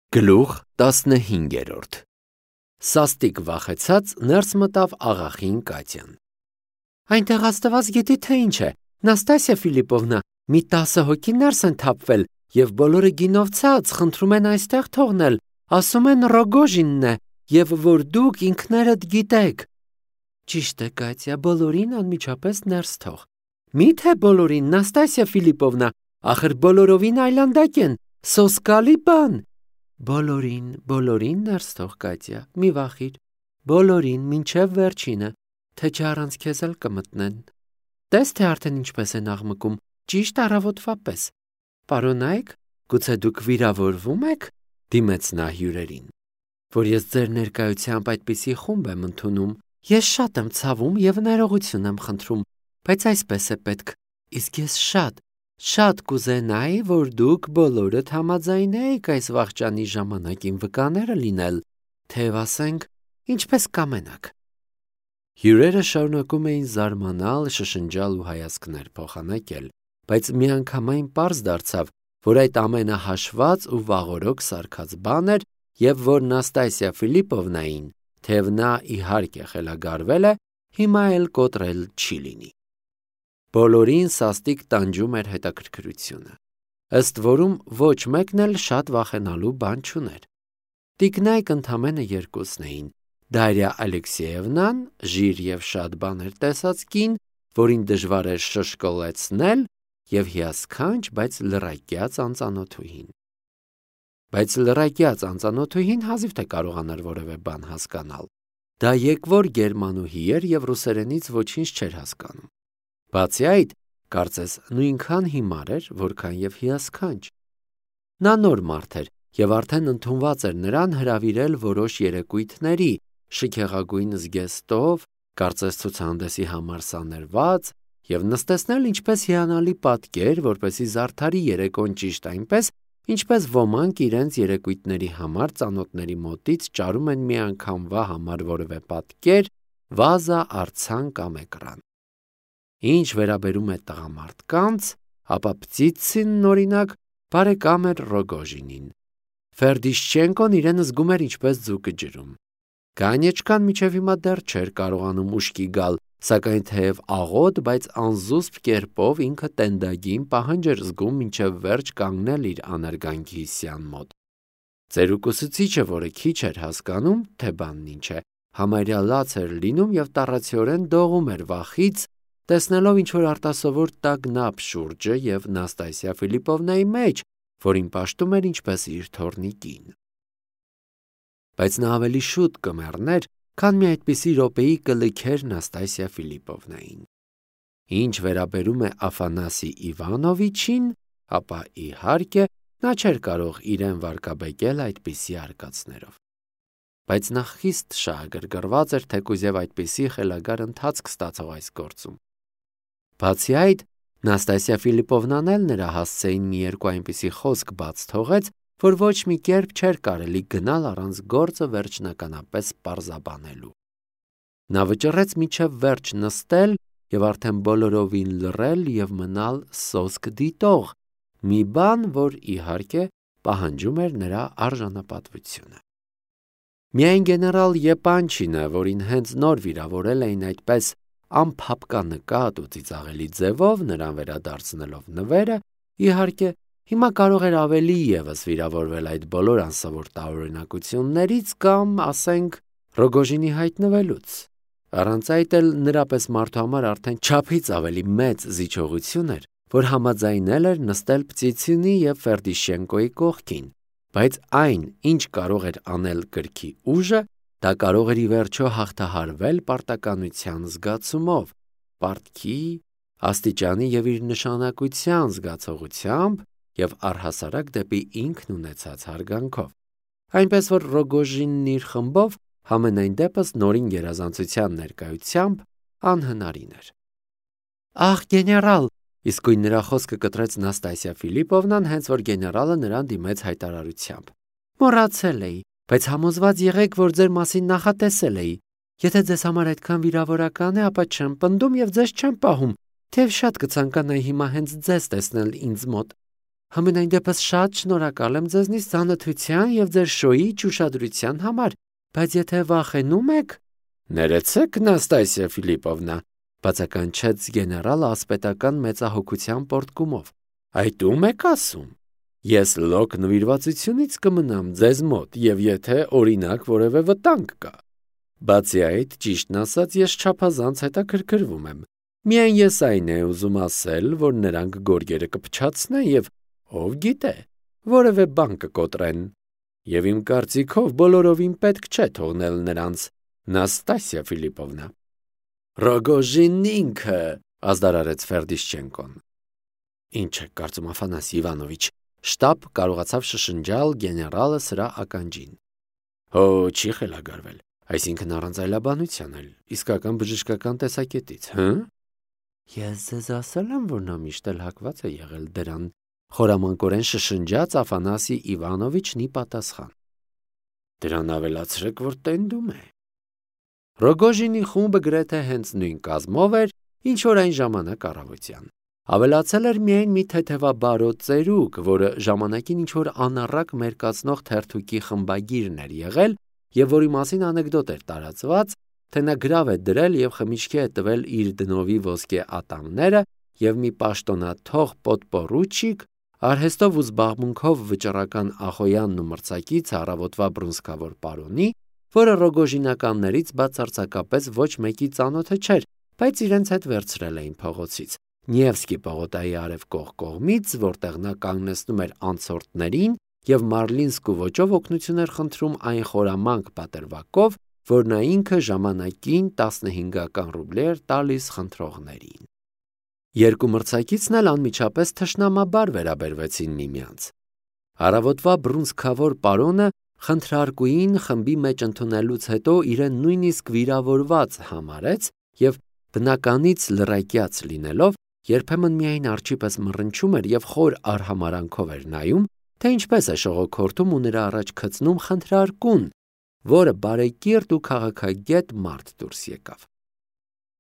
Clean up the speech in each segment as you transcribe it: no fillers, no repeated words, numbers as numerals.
Գլուխ 15 Սաստիկ վախեցած ներս մտավ աղախին Կատյան. Այնտեղ աստված գիտի թե ինչ է, Նաստասիա Ֆիլիպովնա, մի 10 հոգի ներս են թափվել և բոլորը գինով ցած խնդրում են այստեղ թողնել, ասում են Ռոգոժինն է և որ դուք ինքներդ գիտեք։ Ճիշտ է, Կատյա, բոլորին անմիջապես ներս թող։ Մի՞թե բոլորին, Նաստասիա Ֆիլիպովնա, ախր բոլորովին այլանդակ են, սոսկալի բան։ Բոլորին ներս թող, Կատյա, մի վախիր, բոլորին, մինչև վերջինը, թե չէ առանց քեզ էլ կմտնեն։ Տես թե արդեն ինչպես են աղմկում, ճիշտ առավոտվա պես։ Պարոնայք, գուցե դուք վիրավորվում եք, դիմեց նա հյուրերին, որ ես ձեր ներկայությամբ այդպիսի խումբ եմ ընդունում։ Ես շատ եմ ցավում և ներողություն եմ խնդրում, բայց այսպես է պետք, իսկ ես շատ կուզենայի, որ դուք բոլորդ համաձայնեիք այս վախճանի ժամանակին վկաները լինել, թեև ասենք, ինչպես կամենաք։ Հյուրերը շարունակում էին զարմանալ, շշնջալ ու հայացքներ փոխանակել, բայց միանգամայն պարզ դարձավ, որ այդ ամենը հաշված ու վաղօրոք սարքած բան էր և որ Նաստասիա Ֆիլիպովնային, թեև նա իհարկե խելագարվել է, հիմա էլ կոտրել չի լինի։ Բոլորին սաստիկ տանջում էր հետաքրքրությունը, ըստ որում ոչ մեկն էլ շատ վախենալու բան չուներ։ Տիկնայք ընդամենը երկուսն էին, Դարիա Ալեքսեևնան, ժիր և շատ բաներ տեսած կին, որին դժվար էր շշկոլեցնել, և հիասքանչ, բայց լռակյաց անծանոթուհին։ Բայց լռակյաց անծանոթուհին հազիվ թե կարողանար որևէ բան հասկանալ։ Դա եկվոր գերմանուհի էր և ռուսերենից ոչինչ չէր հասկանում։ Բացի այդ, կարծես նույնքան հիմար էր, որքան և հիասքանչ։ Նա նոր մարդ էր և արդեն ընդունված էր նրան հրավիրել որոշ երեկույթների, շքեղագույն զգեստով, կարծես ցուցահանդեսի համար սաներված, և նստեցնել ինչպես հիանալի պատկեր, որպեսզի զարդարի երեկոն ճիշտ այնպես, ինչպես ոմանք իրենց երեկույթների համար ծանոթների մոտից ճարում են մի անգամվա համար որևէ պատկեր, վազա, արձան կամ էկրան։ Ինչ վերաբերում է տղամարդկանց, ապա Պտիցինն, օրինակ, բարեկամ էր Ռոգոժինին։ Ֆերդիշչենկոն իրեն զգում էր ինչպես ձուկը ջրում։ Կանյեչկան մինչև հիմա դեռ չէր կարողանում ուշքի գալ, սակայն թեև աղոտ, բայց անզուսպ կերպով ինքը տենդագին պահանջ էր զգում մինչև վերջ կանգնել իր աներգանքի սյան մոտ։ Ծերուկուսուցիչը, որը քիչ էր հասկանում, թե բանն ինչ է, համարյա լաց էր լինում և տառացիորեն դողում էր վախից, տեսնելով ինչ-որ արտասովոր տագնապ շուրջը և Նաստասիա Ֆիլիպովնայի մեջ, որին պաշտում էր ինչպես իր թոռնի կին։ Բայց նա ավելի շուտ կմեռներ, քան մի այդպիսի րոպեի կլքեր Նաստասիա Ֆիլիպովնային։ Ինչ վերաբերում է Աֆանասի Իվանովիչին, ապա իհարկե նա չէր կարող իրեն վարկաբեկել այդպիսի արկածներով։ Բայց նա խիստ շահագրգռված էր, թեկուզ և այդպիսի խելագար ընթացք ստացող այս գործում։ Բացի այդ, Նաստասիա Ֆիլիպովնան էլ նրա հասցեին մի երկու այնպիսի խոսք բաց թողեց, որ ոչ մի կերպ չէր կարելի գնալ առանց գործը վերջնականապես պարզաբանելու։ Նա վճռեց մինչև վերջ նստել և արդեն բոլորովին լռել և մնալ սոսկ դիտող, մի բան, որ իհարկե պահանջում էր նրա արժանապատվությունը։ Միայն գեներալ Եպանչինը, որին հենց նոր վիրավորել էին այդպես անփափկանկատ ու ծիծաղելի ձևով, նրան վերադարձնելով նվերը, իհարկե, հիմա կարող էր ավելի ևս վիրավորվել այդ բոլոր անսովոր տարօրինակություններից կամ, ասենք, Ռոգոժինի հայտնվելուց։ Առանց այդ էլ նրա պես մարդու համար արդեն չափից ավելի մեծ զիջողություն էր, որ համաձայնել էր նստել Պտիցինի և Ֆերդիշչենկոյի կողքին, բայց այն, ինչ կարող էր անել գրքի ուժը, դա կարող էր ի վերջո հաղթահարվել պարտականության զգացումով, պարտքի, աստիճանի և իր նշանակության զգացողությամբ և առհասարակ դեպի ինքն ունեցած հարգանքով։ Այնպես որ Ռոգոժինն իր խմբով համենայն դեպս նորին գերազանցության ներկայությամբ անհնարին էր։ Ախ, գեներալ, իսկույն նրա խոսքը կտրեց Նաստասիա Ֆիլիպովնան, հենց որ գեներալը նրան դիմեց հայտարարությամբ։ Մոռացել էի, բայց համոզված եղեք, որ ձեր մասին նախատեսել էի։ Եթե ձեզ համար այդքան վիրավորական է, ապա չեմ պնդում և ձեզ չեմ պահում, թեև շատ կցանկանայի հիմա հենց ձեզ տեսնել ինձ մոտ։ Համենայն դեպս շատ շնորհակալ եմ ձեզնից ծանոթության եւ ձեր շոուի ուշադրության համար, բայց եթե վախենում եք, ներեցեք, Նաստասիա Ֆիլիպովնա, բացականչեց գեներալը ասպետական մեծահոգության պոռթկումով։ Այդ ում եք ասում։ Ես լոկ նվիրվածությունից կմնամ ձեզ մոտ, եւ եթե օրինակ որևէ վտանգ կա։ Բացի այդ, ճիշտն ասած, ես չափազանց հետաքրքրվում եմ։ Միայն ես այն է ուզում ասել, որ նրանք գորգերը կփչացնեն եւ ով գիտե, որևէ բան կկոտրեն։ Եվ իմ կարծիքով բոլորովին պետք չէ թողնել նրանց, Նաստասիա Ֆիլիպովնա։ Ռոգոժինն ինքը, ազդարարեց Ֆերդիշչենկոն։ Ինչ է կարծում Աֆանասի Իվանովիչ, շտապ կարողացավ շշնջալ գեներալը սրա ականջին։ Հո, չի խելագարվել, այսինքն առանց այլաբանության էլ, իսկական բժշկական տեսակետից, հը՞։ Ես ձեզ ասել եմ, որ նա միշտ էլ հակված է եղել դրան, խորամանկորեն շշնջաց Աֆանասի Իվանովիչն ի պատասխան։ Դրան ավելացրեք, որ տենդում է։ Ռոգոժինի խումբը գրեթե հենց նույն կազմով էր, ինչ որ այն ժամանակ առավոտյան։ Ավելացել էր միայն մի թեթևաբարոտ ծերուկ, որը ժամանակին ինչ որ անառակ մերկացնող թերթուկի խմբագիրն էր եղել եւ որի մասին անեկդոտ էր տարածված, թե նա գրավ է դրել եւ խմիչքի է տվել իր դնովի ոսկե ատամները եւ մի պաշտոնաթող պոդպորուչիկ արհեստով ու զբաղմունքով վճռական Ախոյանն ու մրցակից առավոտվա բռունցքավոր պարոնի, որը ռոգոժինականներից բացարձակապես ոչ մեկի ծանոթը չէր, բայց իրենց հետ վերցրել էին փողոցից։ Նիևսկի պողոտայի արևկող կողմից, որտեղ նա կանգնեցնում էր անցորդներին եւ մարլինսկու ոճով օգնություն էր խնդրում այն խորամանկ պատրվակով, որ նա ինքը ժամանակին 15 ռուբլի էր տալիս խնդրողներին։ Երկու մրցակիցն էլ անմիջապես թշնամաբար վերաբերվեցին միմյանց։ Առավոտվա բռունցքավոր պարոնը խնդրարկուին խմբի մեջ ընդունելուց հետո իրեն նույնիսկ վիրավորված համարեց եւ բնականից լրակյաց լինելով երբեմն միայն արջի պես մռնչում էր եւ խոր արհամարանքով էր նայում, թե ինչպես է շողոքորթում ու նրա առաջ գցնում խնդրարկուն, որը բարեկիրթ ու քաղաքագետ մարդ դուրս եկավ։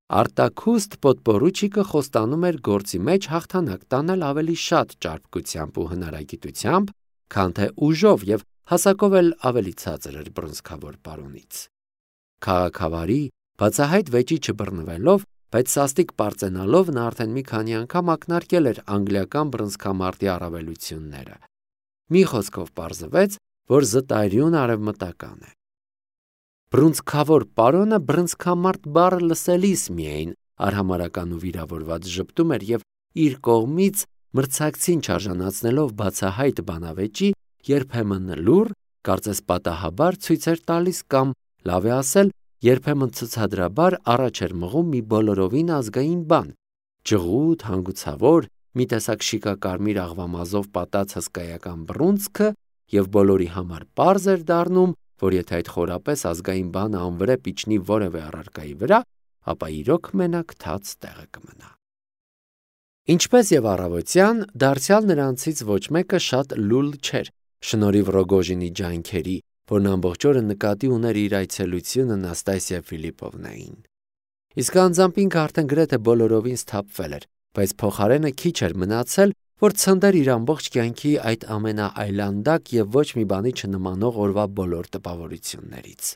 Արտաքուստ պոդպորուչիկը խոստանում էր գործի մեջ հաղթանակ տանել ավելի շատ ճարպկությամբ ու հնարագիտությամբ, քան թե ուժով եւ հասակով էլ ավելի ցածր էր բռնցքավոր պարոնից։ Քաղաքավարի բացահայտ վեճի չբռնվելով, բայց սաստիկ պարծենալով նա արդեն մի քանի անգամ ակնարկել էր անգլիական բռնցքամարտի առավելությունները։ Մի խոսքով պարզվեց, որ զտայրյուն արևմտական է։ Բռունցքավոր պարոնը բռնցքամարտ բառը լսելիս միայն արհամարական ու վիրավորված ժպտում էր եւ իր կողմից մրցակցին չարժանացնելով բացահայտ բանավեճի երբեմն լուր, կարծես պատահաբար ցույց էր տալիս կամ, լավ է ասել, երբեմն ցուցադրաբար առաջ էր մղում մի բոլորովին ազգային բան, ջղութ, հանգուցավոր, մի տեսակ շիկակարմիր աղվամազով պատած հսկայական բռունցքը եւ բոլորի համար պարզ էր դառնում, որ եթե այդ խորապես ազգային բանը անվրեպ իջնի որևէ առարկայի վրա, ապա իրոք մենակ թաց տեղը կմնա։ Ինչպես եւ առավոտյան, դարձյալ նրանցից ոչ մեկը շատ լուլ չէր, շնորհիվ Ռոգոժինի ջանքերի, որն ամբողջ օրը նկատի ուներ իր այցելությունը Նաստասիա Ֆիլիպովնային։ Իսկ անձամբ ինքը արդեն գրեթե բոլորովին սթափվել էր, բայց փոխարենը քիչ էր մնացել, որ ցնդեր իր ամբողջ կյանքի այդ ամենաայլանդակ եւ ոչ մի բանի չնմանող օրվա բոլոր տպավորություններից։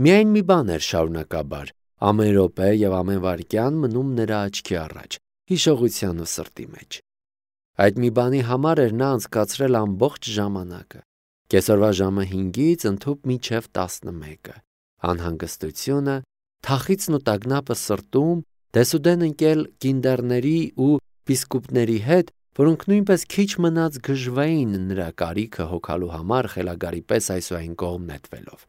Միայն մի բան էր շարունակաբար, ամեն րոպե եւ ամեն վայրկյան մնում նրա աչքի առաջ, հիշողության ու սրտի մեջ։ Այդ մի բանի համար էր նա անցկացրել ամբողջ ժամանակը։ Կեսօրվա ժամը 5-ից ընդհուպ մինչև 11-ը։ Անհանգստությունը, թախիցն ու տագնապը սրտում, դեսուդեն ընկել կինդերների ու բիսկուպների հետ, որոնք նույնպես քիչ մնաց գժվային նրա կարիքը հոգալու համար խելագարի պես այսուհին կողմ նետվելով։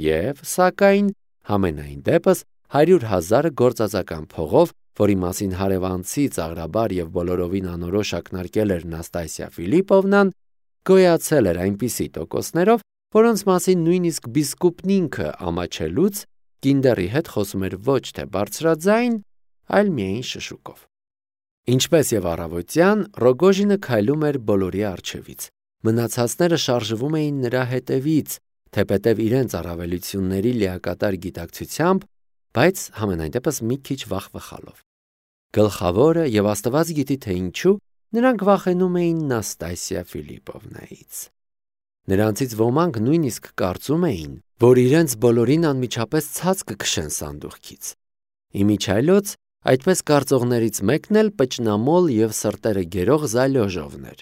Եվ, սակայն, համենայն դեպս 100,000 գործածական փողով, որի մասին հարևանցի ծաղրաբար եւ բոլորովին անորոշ ակնարկել էր Նաստասիա Ֆիլիպովնան, գոյացել էր այնպիսի տոկոսներով, որոնց մասին նույնիսկ բիսկուպն ինքը ամաչելուց կինդերի հետ խոսում էր ոչ թե բարձրաձայն, այլ միայն շշուկով։ Ինչպես եւ առավոտյան, Ռոգոժինը քայլում էր բոլորի առջևից։ Մնացածները շարժվում էին նրա հետևից, թեպետև իրենց առավելությունների լիակատար գիտակցությամբ, բայց համենայն դեպս մի քիչ վախվխալով։ Գլխավորը եւ Աստված գիտի թե ինչու Նրանք վախենում էին Նաստասիա Ֆիլիպովնայից։ Նրանցից ոմանք նույնիսկ կարծում էին, որ իրենց բոլորին անմիջապես ցած կքշեն սանդուղքից։ Իմիջիայլոց այդպես կարծողներից մեկն էլ պճնամոլ և սրտերը գերող Զալյոժովն էր։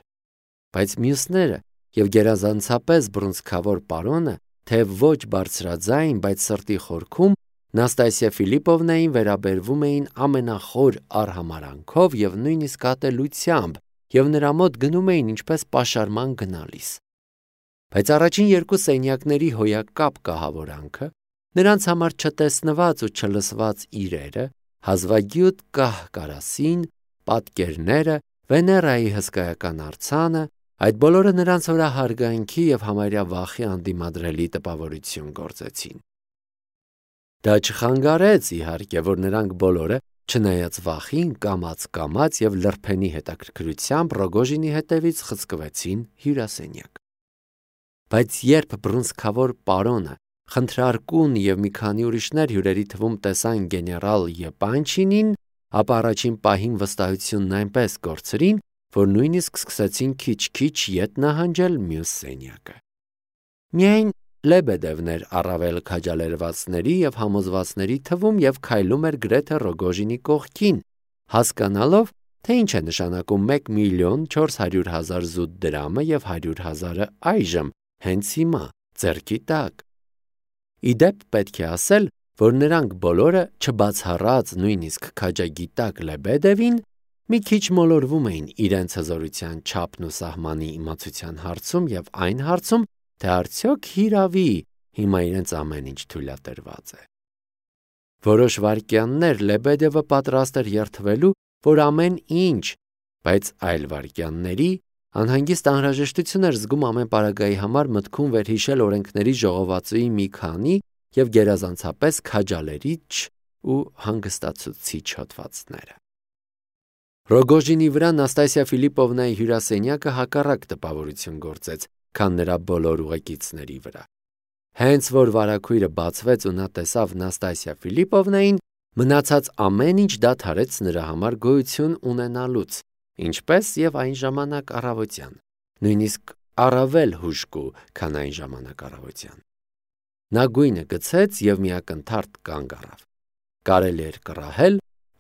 Բայց մյուսները և գերազանցապես բռունցքավոր պարոնը, թեև ոչ բարձրաձայն, բայց սրտի խորքում Նաստասիա Ֆիլիպովնային վերաբերվում էին ամենախոր արհամարհանքով և նույնիսկ ատելությամբ և նրա մոտ գնում էին ինչպես պաշարման գնալիս։ Բայց առաջին երկու սենյակների հոյակապ կահավորանքը, նրանց համար չտեսնված ու չլսված իրերը, հազվագյուտ կահ-կարասին, պատկերները, Վեներայի հսկայական արձանը, այդ բոլորը նրանց վրա հարգանքի և համարյա վախի անդիմադրելի տպավորություն գործեցին։ Դա չխանգարեց, իհարկե, որ նրանք բոլորը, չնայած վախին, կամաց և լրբենի հետաքրքրությամբ Ռոգոժինի հետևից խցկվեցին հյուրասենյակ։ Բայց երբ բռունցքավոր պարոնը, խնդրարկուն և մի քանի ուրիշներ հյուրերի թվում տեսան գեներալ Եպանչինին, ապա առաջին պահին վստահությունն այնպես կորցրին, որ նույնիսկ սկսեցին քիչ-քիչ ետ նահանջել մյուս սենյակը։ Միայն Լեբեդևն էր առավել քաջալերվածների և համոզվածների թվում և քայլում էր գրեթե Ռոգոժինի կողքին, հասկանալով, թե ինչ է նշանակում 1,400,000 զուտ դրամը և 100,000-ը այժմ, հենց հիմա, ձեռքի տակ։ Ի դեպ պետք է ասել, որ նրանք բոլորը, չբացառած նույնիսկ քաջագիտակ Լեբեդևին, մի քիչ մոլորվում էին իրենց հզորության չափն ու սահմանի իմացության հարցում և այն հարցում, թե արդյոք հիրավի հիմա իրենց ամեն ինչ թույլատրված է։ Որոշ վայրկյաններ Լեբեդևը պատրաստ էր երդվելու, որ ամեն ինչ, բայց այլ վայրկյանների անհանգիստ անհրաժեշտություն էր զգում ամեն պարագայի համար մտքում վերհիշել օրենքների ժողովածուի մի քանի և գերազանցապես քաջալերիչ ու հանգստացուցիչ հոդվածները։ Ռոգոժինի վրա Նաստասիա Ֆիլիպովնայի հյուրասենյակը հակառակ տպավորություն գործեց, քան նրա բոլոր ուղեկիցների վրա։ Հենց որ վարագույրը բացվեց ու նա տեսավ Նաստասիա Ֆիլիպովնային, մնացած ամեն ինչ դադարեց նրա համար գոյություն ունենալուց, ինչպես և այն ժամանակ առավոտյան, նույնիսկ առավել հուժկու, քան այն ժամանակ առավոտյան։ Նա գույնը գցեց և մի ակնթարթ կանգ առավ։ Կարելի էր կռահել,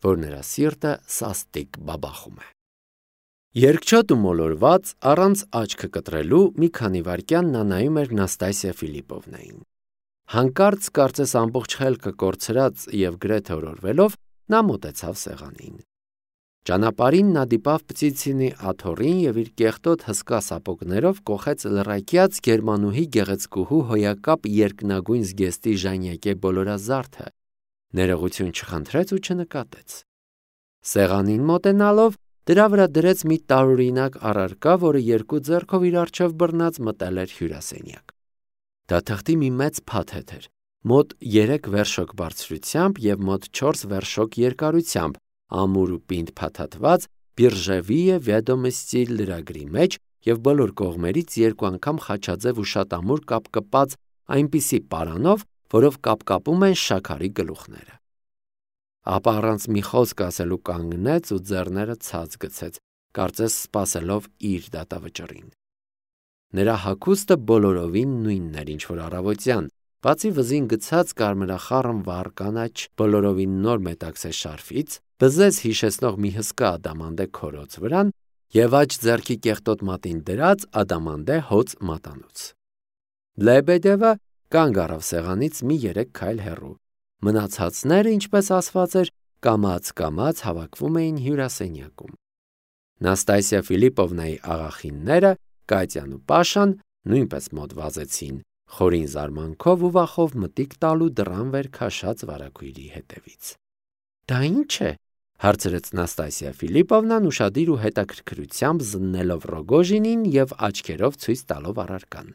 որ նրա սիրտը սաստիկ բաբախում է։ Երկչոտ ու մոլորված, առանց աչքը կտրելու մի քանի վայրկյան նա նայում էր Նաստասիա Ֆիլիպովնային։ Հանկարծ, կարծես ամբողջ խելքը կորցրած և գրեթե օրորվելով, նա մոտեցավ սեղանին։ Ճանապարհին նա դիպավ Պտիցինի աթոռին և իր կեղտոտ հսկա սապոգներով կոխեց լրակյաց գերմանուհի գեղեցկուհու հոյակապ երկնագույն զգեստի ժանյակե բոլորազարդը, ներողություն չխնդրեց ու չնկատեց։ Սեղանին մոտենալով, դրա վրա դրեց մի տարօրինակ առարկա, որը երկու ձեռքով իր առջև բռնած մտել էր հյուրասենյակ։ Դա թղթի մի մեծ փաթեթ էր, մոտ 3 վերշոկ բարձրությամբ և մոտ 4 վերշոկ երկարությամբ, ամուր ու պինդ փաթաթված Բիրժևիե Վեդոմստի լրագրի մեջ և բոլոր կողմերից երկու անգամ խաչաձև ու շատ ամուր կապկպած այնպիսի պարանով, որով կապկապում են շաքարի գլուխները։ Ապա առանց մի խոսք ասելու կանգնեց ու ձեռները ցած գցեց, կարծես սպասելով իր դատավճռին։ Նրա հագուստը բոլորովին նույնն էր, ինչ որ առավոտյան, բացի վզին գցած կարմրախառն վառ կանաչ բոլորովին նոր մետաքսե շարֆից, բզեզ հիշեցնող մի հսկա ադամանդե քորոց վրան և աջ ձեռքի կեղտոտ մատին դրած ադամանդե հոծ մատանուց։ Լեբեդևը կանգ առավ սեղանից մի 3 քայլ հեռու։ Մնացածները, ինչպես ասված էր, կամաց հավաքվում էին հյուրասենյակում։ Նաստասիա Ֆիլիպովնայի աղախինները, Կատյան ու Պաշան, նույնպես մոտ վազեցին, խորին զարմանքով ու վախով մտիկ տալու դռան վեր քաշած վարագույրի հետևից։ Դա ի՞նչ է, հարցրեց Նաստասիա Ֆիլիպովնան ուշադիր ու հետաքրքրությամբ զննելով Ռոգոժինին և աչքերով ցույց տալով առարկան։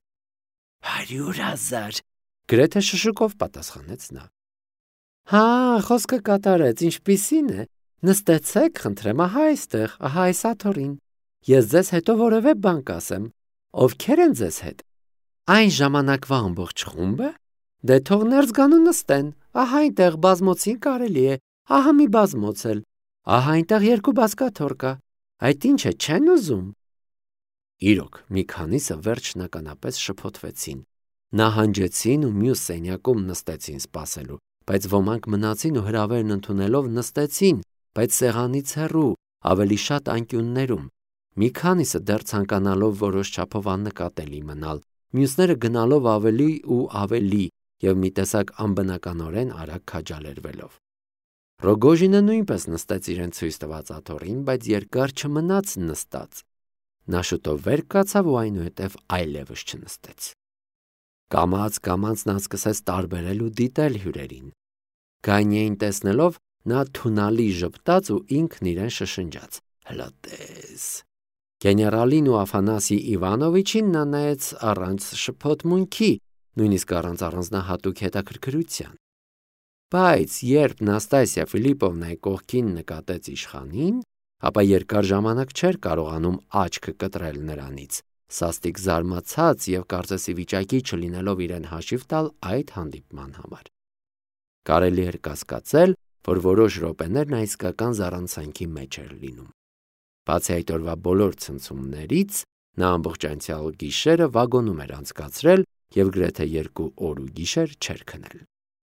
100,000, գրեթե շշուկով պատասխանեց նա։ Հա, խոսքը կատարեց, ինչպիսին է։ Նստեցեք, խնդրեմ, ահա այստեղ, ահա այս աթոռին։ Ես ձեզ հետո որևէ բան կասեմ։ Ովքեր են ձեզ հետ։ Այն ժամանակվա ամբողջ խումբը։ Դե թող ներս գան ու նստեն։ Ահա այնտեղ բազմոցին կարելի է, ահա մի բազմոց էլ։ Ահա այնտեղ 2 բազկաթոռ կա։ Այդ ինչ է, չեն ուզում։ Իրոք, մի քանիսը վերջնականապես շփոթվեցին, նահանջեցին ու մյուս սենյակում նստեցին սպասելու, բայց ոմանք մնացին ու հրավերն ընդունելով նստեցին, բայց սեղանից հեռու, ավելի շատ անկյուններում։ Մի քանիսը դեռ ցանկանալով որոշ չափով աննկատելի մնալ, մյուսները գնալով ավելի ու ավելի եւ մի տեսակ անբնականորեն արագ քաջալերվելով։ Ռոգոժինը նույնպես նստեց իրեն ցույց տված աթոռին, բայց երկար չմնաց նստած։ Նա շուտով վեր կացավ ու այնուհետև այլևս չնստեց։ Կամաց նա սկսեց տարբերել ու դիտել հյուրերին։ Գանյեին տեսնելով, նա թունալի ժպտաց ու ինքն իրեն շշնջաց. «Հլա տես»։ Գեներալին ու Աֆանասի Իվանովիչին նա նայեց առանց շփոթմունքի, նույնիսկ առանց առանձնահատուկ հետաքրքրության։ Բայց երբ Նաստասիա Ֆիլիպովնայի կողքին նկատեց իշխանին, ապա երկար ժամանակ չէր կարողանում աչքը կտրել նրանից, սաստիկ զարմացած եւ կարծես ի վիճակի չլինելով իրեն հաշիվ տալ այդ հանդիպման համար։ Կարելի էր կասկածել, որ որոշ րոպեներ նա իսկական զառանցանքի մեջ էր լինում։ Բացի այդ օրվա բոլոր ցնցումներից, նա ամբողջ անցյալ գիշերը վագոնում էր անցկացրել եւ գրեթե 2 օր ու գիշեր չէր քնել։